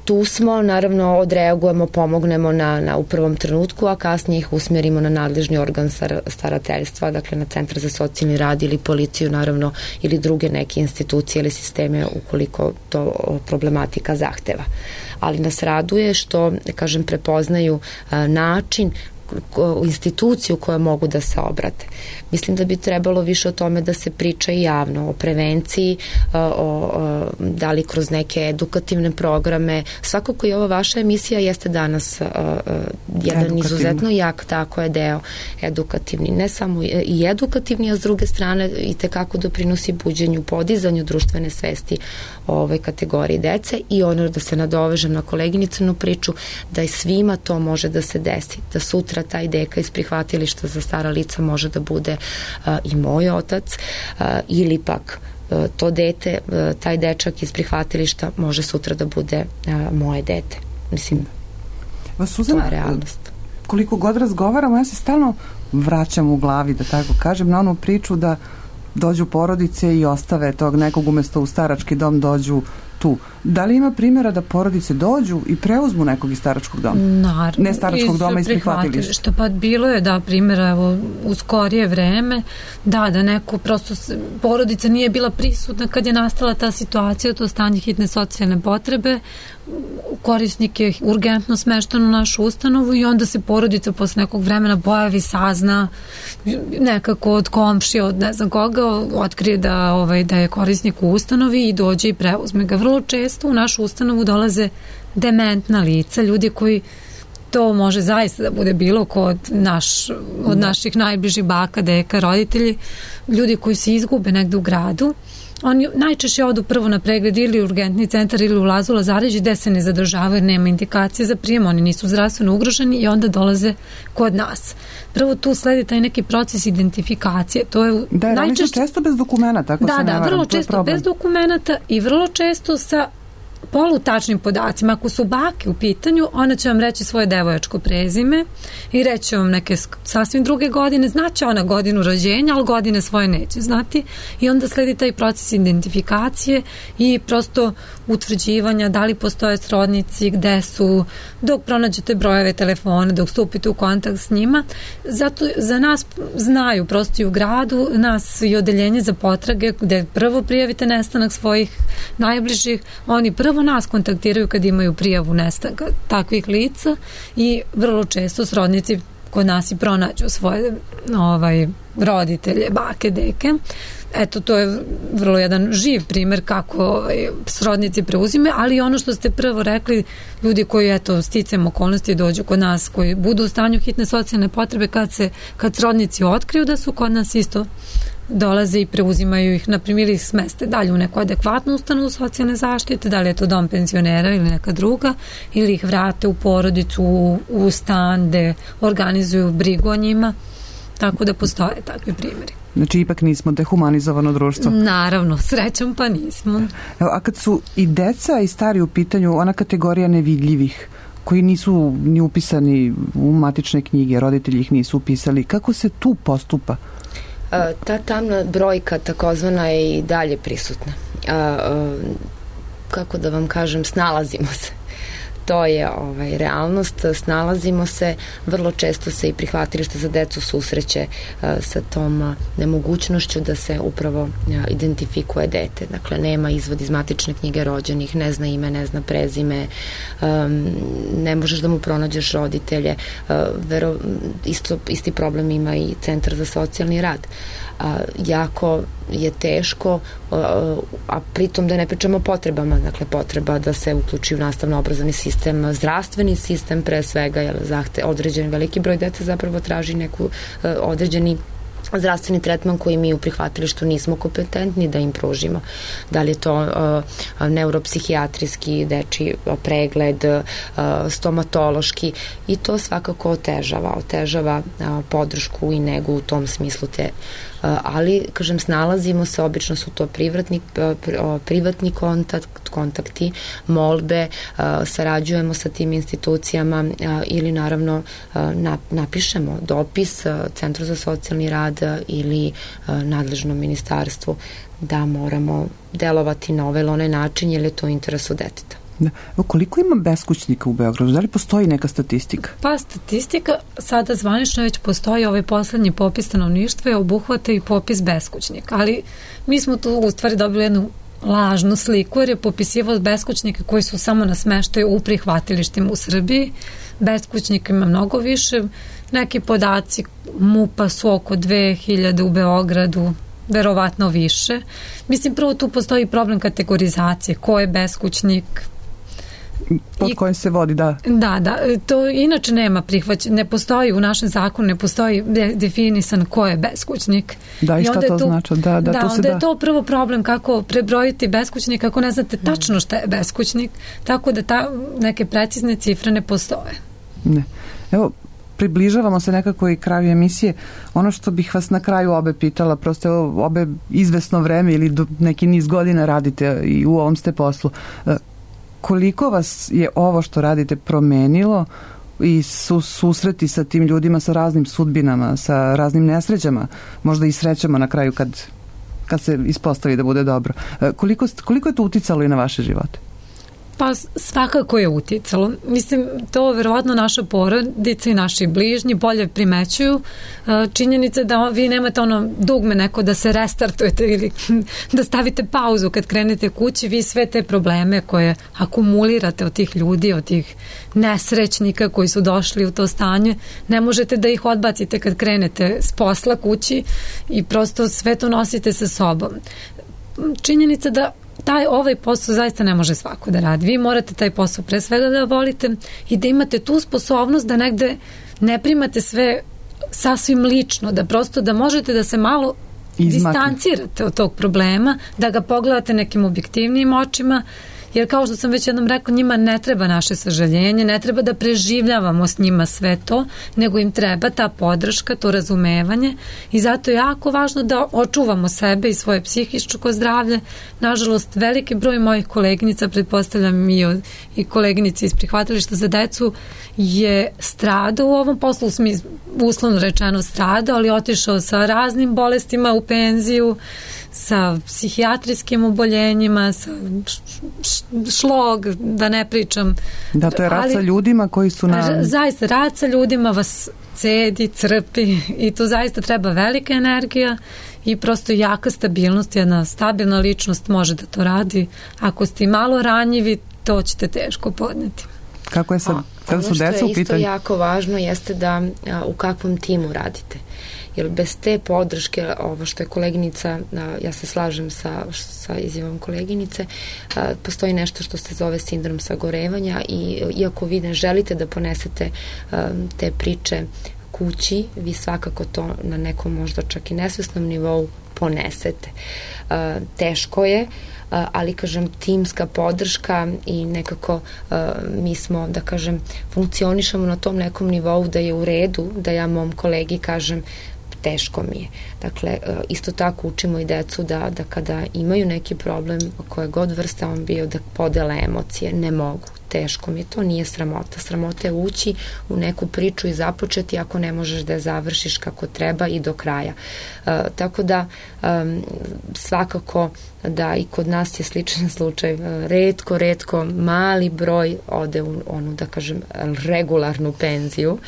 tu smo, naravno, odreagujemo, pomognemo na, na u prvom trenutku, a kasnije ih usmerimo na nadležni organ star, starateljstva, dakle na Centar za socijalni rad ili policiju, naravno, ili druge neke institucije ili sisteme ukoliko to problematika zahteva. Ali nas raduje što, kažem, prepoznaju uh, način u instituciju koja mogu da se obrate. Mislim da bi trebalo više o tome da se priča i javno, o prevenciji, o, o, da li kroz neke edukativne programe. Svakako i ova vaša emisija jeste danas jedan izuzetno jak, tako je deo edukativni. Ne samo i edukativni, a s druge strane i tekako doprinosi buđenju, podizanju društvene svesti o ovoj kategoriji dece i ono da se nadovežem na koleginicinu priču, da i svima to može da se desi, da sutra taj deka iz prihvatilišta za stara lica može da bude uh, i moj otac uh, ili pak uh, to dete, uh, taj dečak iz prihvatilišta može sutra da bude uh, moje dete. Mislim, Suzana, to je realnost. Koliko god razgovaramo, ja se stalno vraćam u glavi, da tako kažem, na onu priču da dođu porodice i ostave tog nekog umesto u starački dom dođu tu. Da li ima primjera da porodice dođu i preuzmu nekog iz staračkog doma? Naravno. Ne staračkog doma, iz prihvatilišta. Pa bilo je, da, primjera evo, u skorije vreme, da, da neko prosto porodica nije bila prisutna kad je nastala ta situacija, to stanje hitne socijalne potrebe, korisnik je urgentno smešten u našu ustanovu i onda se porodica posle nekog vremena pojavi, sazna nekako od komšija, od ne znam koga, otkrije da, ovaj, da je korisnik u ustanovi i dođe i preuzme ga. Vrlo često u našu ustanovu dolaze dementna lica, ljudi koji to može zaista da bude bilo ko od, naš, od naših najbližih baka, deka, roditelji, ljudi koji se izgube negde u gradu. Oni najčešće odu prvo na pregled ili u urgentni centar ili u Lazu Lazarević gde se ne zadržavaju jer nema indikacije za prijem, oni nisu zdravstveno ugroženi i onda dolaze kod nas. Prvo tu sledi taj neki proces identifikacije. To je da, najčešće često bez dokumenta, tako da, se ne da, varam, vrlo često bez dokumenta i vrlo često sa polutačnim podacima. Ako su bake u pitanju, ona će vam reći svoje devojačko prezime i reći vam neke sasvim druge godine, znaće ona godinu rođenja, ali godine svoje neće znati i onda sledi taj proces identifikacije i prosto utvrđivanja da li postoje srodnici, gde su, dok pronađete brojeve telefona, dok stupite u kontakt s njima. Zato za nas znaju prosto i u gradu, nas i odeljenje za potrage gde prvo prijavite nestanak svojih najbližih, oni prvo nas kontaktiraju kad imaju prijavu nestanka takvih lica i vrlo često srodnici kod nas i pronađu svoje ovaj, roditelje, bake, deke. Eto, to je vrlo jedan živ primer kako ovaj, srodnici preuzime, ali ono što ste prvo rekli, ljudi koji, eto, sticam okolnosti dođu kod nas, koji budu u stanju hitne socijalne potrebe, kad se, kad srodnici otkriju da su kod nas isto dolaze i preuzimaju ih, na primjer ih smeste dalje u neku adekvatnu ustanovu socijalne zaštite, da li je to dom penzionera ili neka druga, ili ih vrate u porodicu, u, u stan gde organizuju brigu o njima, tako da postoje takvi primjeri. Znači, ipak nismo dehumanizovano društvo. Naravno, srećom pa nismo. Evo, a kad su i deca i stari u pitanju, ona kategorija nevidljivih, koji nisu ni upisani u matične knjige, roditelji ih nisu upisali, kako se tu postupa? Ta tamna brojka takozvana je i dalje prisutna. Kako da vam kažem, snalazimo se. To je ovaj, realnost, snalazimo se, vrlo često se i prihvatilište za decu susreće uh, sa tom uh, nemogućnošću da se upravo uh, identifikuje dete. Dakle, nema izvod iz matične knjige rođenih, ne zna ime, ne zna prezime, um, ne možeš da mu pronađeš roditelje. Uh, vero, isto, isti problem ima i Centar za socijalni rad. A, jako je teško, a, a pritom da ne pričamo o potrebama, dakle potreba da se uključi u nastavno-obrazovni sistem, zdravstveni sistem pre svega, jer zahte, određen veliki broj dece zapravo traži neku a, određeni zdravstveni tretman koji mi u prihvatilištu nismo kompetentni da im pružimo. Da li je to uh, neuropsihijatrijski dečiji pregled, uh, stomatološki i to svakako otežava, otežava uh, podršku i negu u tom smislu te Uh, ali, kažem, snalazimo se, obično su to privatni, uh, privatni kontakt, kontakti, molbe, uh, sarađujemo sa tim institucijama uh, ili naravno uh, napišemo dopis uh, Centru za socijalni rad uh, ili uh, nadležnom ministarstvu da moramo delovati na ovaj ili onaj način jer je to u interesu deteta. Da. Koliko ima beskućnika u Beogradu? Da li postoji neka statistika? Pa statistika sada zvanično već postoji, ovaj poslednji popis stanovništva je obuhvata i popis beskućnika, ali mi smo tu u stvari dobili jednu lažnu sliku jer je popisivao beskućnika koji su samo na smeštaju u prihvatilištima u Srbiji. Beskućnika ima mnogo više. neki podaci MUP-a su oko dve hiljade u Beogradu, verovatno više. Mislim, prvo tu postoji problem kategorizacije, ko je beskućnik, pod kojim se vodi, da. Da, da, to inače nema prihvaćen, ne postoji u našem zakonu, ne postoji de, definisan ko je beskućnik. Da, i šta to tu, znači? Da, da, da to se onda da. je to prvo problem kako prebrojiti beskućnik ako ne znate tačno šta je beskućnik, tako da ta, neke precizne cifre ne postoje. Ne. Evo, približavamo se nekako i kraju emisije. Ono što bih vas na kraju obe pitala, prosto evo, obe izvesno vreme ili do neki niz godina radite i u ovom ste poslu. Koliko vas je ovo što radite promenilo i su susreti sa tim ljudima, sa raznim sudbinama, sa raznim nesrećama, možda i srećama na kraju kad, kad se ispostavi da bude dobro. Koliko, koliko je to uticalo i na vaše živote? Pa svakako je uticalo. Mislim, to verovatno naša porodica i naši bližnji bolje primećuju. Činjenica da vi nemate ono dugme neko da se restartujete ili da stavite pauzu kad krenete kući, vi sve te probleme koje akumulirate od tih ljudi, od tih nesrećnika koji su došli u to stanje, ne možete da ih odbacite kad krenete s posla kući i prosto sve to nosite sa sobom. Činjenica da taj ovaj posao zaista ne može svako da radi. Vi morate taj posao pre svega da volite i da imate tu sposobnost da negde ne primate sve sasvim lično, da prosto da možete da se malo Izmakne. distancirate od tog problema, da ga pogledate nekim objektivnijim očima, jer kao što sam već jednom rekla, njima ne treba naše sažaljenje, ne treba da preživljavamo s njima sve to, nego im treba ta podrška, to razumevanje i zato je jako važno da očuvamo sebe i svoje psihičko zdravlje. Nažalost, veliki broj mojih koleginica, pretpostavljam i, od, i koleginici iz prihvatilišta za decu, je stradao u ovom poslu, uslovno rečeno stradao, ali otišao sa raznim bolestima u penziju, sa psihijatrijskim oboljenjima, sa šlog, da ne pričam. Da, to je rad sa ljudima koji su na... Zaista, rad sa ljudima vas cedi, crpi i tu zaista treba velika energija i prosto jaka stabilnost, jedna stabilna ličnost može da to radi. Ako ste malo ranjivi, to ćete teško podneti. Kako je sad, kada su deca u pitanju? Ono što je isto jako važno jeste da a, u kakvom timu radite. Jer bez te podrške, ovo što je koleginica, ja se slažem sa, sa izjavom koleginice, postoji nešto što se zove sindrom sagorevanja i iako vi ne želite da ponesete te priče kući, vi svakako to na nekom možda čak i nesvesnom nivou ponesete. Teško je, ali kažem timska podrška i nekako mi smo, da kažem, funkcionišemo na tom nekom nivou da je u redu, da ja mom kolegi kažem teško mi je. Dakle, isto tako učimo i decu da, da kada imaju neki problem, koje god vrsta on bio, da podele emocije. Ne mogu. Teško mi je. To nije sramota. Sramota je ući u neku priču i započeti ako ne možeš da je završiš kako treba i do kraja. Uh, tako da um, svakako da i kod nas je sličan slučaj. Uh, retko, retko, mali broj ode u onu, da kažem, regularnu penziju,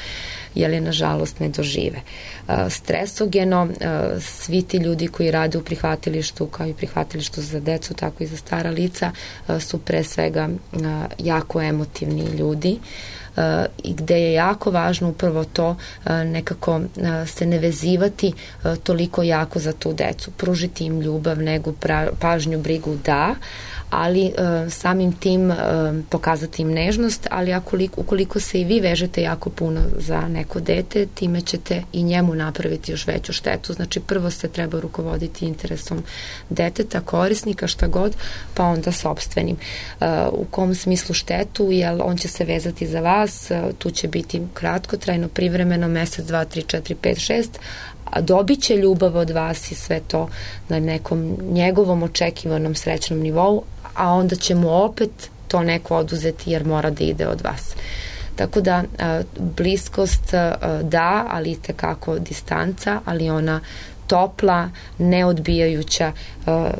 jer je nažalost ne dožive. Uh, stresogeno, uh, svi ti ljudi koji rade u prihvatilištu, kao i prihvatilištu za decu, tako i za stara lica, uh, su pre svega uh, jako emotivni ljudi uh, i gde je jako važno upravo to uh, nekako uh, se ne vezivati uh, toliko jako za tu decu. Pružiti im ljubav, negu, pra, pažnju, brigu, da, ali uh, samim tim uh, pokazati im nežnost, ali akoliko, ukoliko se i vi vežete jako puno za neko dete, time ćete i njemu napraviti još veću štetu. Znači prvo se treba rukovoditi interesom deteta, korisnika, šta god, pa onda sopstvenim. Uh, u kom smislu štetu, jer on će se vezati za vas, uh, tu će biti kratkotrajno, privremeno, mesec, dva, tri, četiri, pet, šest, a dobit će ljubav od vas i sve to na nekom njegovom očekivanom srećnom nivou, a onda će mu opet to neko oduzeti jer mora da ide od vas. Tako da bliskost da, ali itekako distanca, ali ona topla, neodbijajuća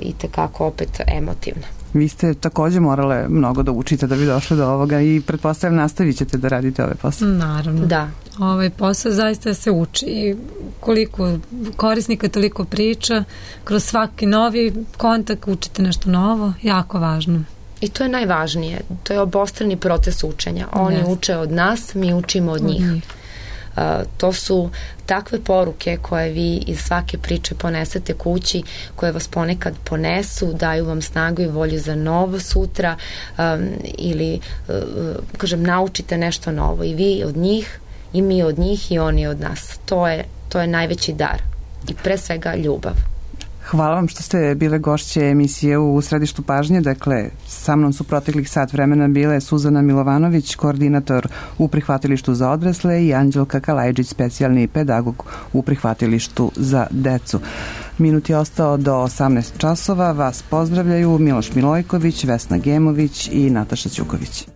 i tekako opet emotivna. Vi ste takođe morale mnogo da učite da bi došli do ovoga i pretpostavljam nastavit ćete da radite ove posao. Naravno. Da. Ovaj posao zaista se uči i koliko korisnika toliko priča, kroz svaki novi kontakt učite nešto novo, jako važno. I to je najvažnije, to je obostrani proces učenja. Oni yes. uče od nas, mi učimo od njih. Od njih. To su takve poruke koje vi iz svake priče ponesete kući, koje vas ponekad ponesu, daju vam snagu i volju za novo sutra ili, kažem, naučite nešto novo i vi od njih i mi od njih i oni od nas. To je, to je najveći dar i pre svega ljubav. Hvala vam što ste bile gošće emisije u Središtu pažnje. Dakle, sa mnom su proteklih sat vremena bile Suzana Milovanović, koordinator u prihvatilištu za odrasle, i Anđelka Kalajđić, specijalni pedagog u prihvatilištu za decu. Minut je ostao do osamnaest časova. Vas pozdravljaju Miloš Milojković, Vesna Gemović i Nataša Ćuković.